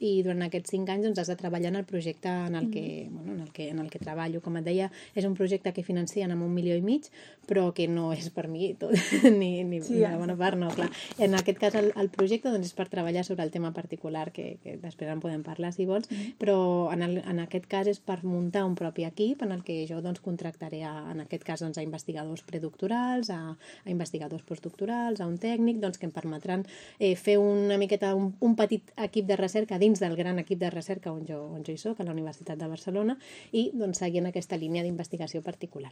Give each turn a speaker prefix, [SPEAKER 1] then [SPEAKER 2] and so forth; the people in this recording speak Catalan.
[SPEAKER 1] i durant aquests 5 anys has de treballar en el projecte en el que treballo. Com et deia, és un projecte que financien amb 1,5 milions, però que no és per mi tot, ni de bona part, no, clar. En aquest cas el projecte és per treballar sobre el tema particular, que després en podem parlar si vols, però en aquest cas és per muntar un propi equip en el que jo contractaré en aquest cas a investigadors predoctorals, a investigadors postdoctorals, a un tècnic, que em permetran fer una miqueta un petit equip de recerca dins del gran equip de recerca on jo hi soc, a la Universitat de Barcelona, i seguint aquesta línia d'investigació particular.